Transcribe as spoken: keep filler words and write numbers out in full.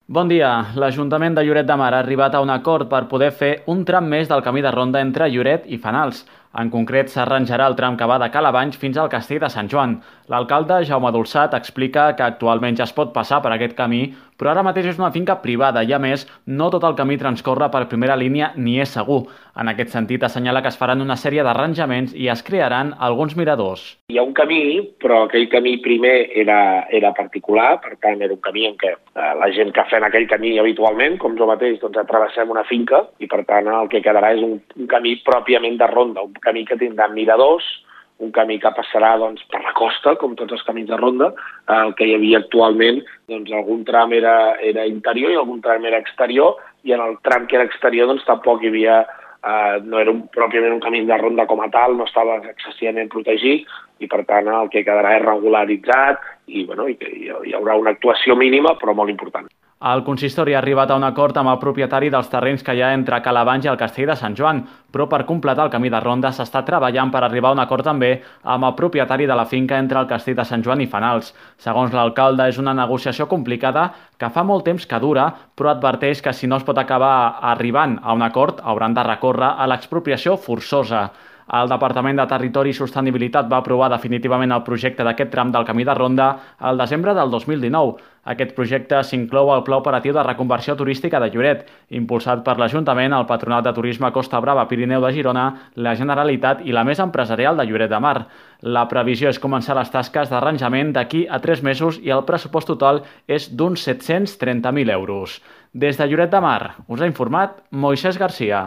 Bon dia. L'Ajuntament de Lloret de Mar ha arribat a un acord per poder fer un tram més del camí de ronda entre Lloret i Fenals. En concret, s'arranjarà el tram que va de Calabanys fins al Castell de Sant Joan. L'alcalde, Jaume Dolçat, explica que actualment ja es pot passar per aquest camí, però ara mateix és una finca privada i, a més, no tot el camí transcorre per primera línia ni és segur. En aquest sentit, assenyala que es faran una sèrie d'arranjaments i es crearan alguns miradors. Hi ha un camí, però aquell camí primer era, era particular, per tant era un camí en què eh, la gent que fem aquell camí habitualment, com jo mateix, doncs travessem una finca i per tant el que quedarà és un, un camí pròpiament de ronda, un camí que tindrà miradors, un camí que passarà doncs, per la costa, com tots els camins de ronda. El que hi havia actualment, doncs algun tram era, era interior i algun tram era exterior, i en el tram que era exterior doncs tampoc hi havia, eh, no era un, pròpiament un camí de ronda com a tal, no estava excessivament protegit, i per tant el que quedarà és regularitzat i, bueno, i hi haurà una actuació mínima però molt important. El consistori ha arribat a un acord amb el propietari dels terrenys que hi ha entre Calabanys i el Castell de Sant Joan, però per completar el camí de ronda s'està treballant per arribar a un acord també amb el propietari de la finca entre el Castell de Sant Joan i Fenals. Segons l'alcalde, és una negociació complicada que fa molt temps que dura, però adverteix que si no es pot acabar arribant a un acord hauran de recórrer a l'expropiació forçosa. El Departament de Territori i Sostenibilitat va aprovar definitivament el projecte d'aquest tram del camí de ronda al desembre del dos mil dinou. Aquest projecte s'inclou al Pla Operatiu de Reconversió Turística de Lloret, impulsat per l'Ajuntament, el Patronat de Turisme Costa Brava Pirineu de Girona, la Generalitat i la Mesa Empresarial de Lloret de Mar. La previsió és començar les tasques d'arranjament d'aquí a tres mesos i el pressupost total és d'uns set-cents trenta mil euros. Des de Lloret de Mar us ha informat Moisès Garcia.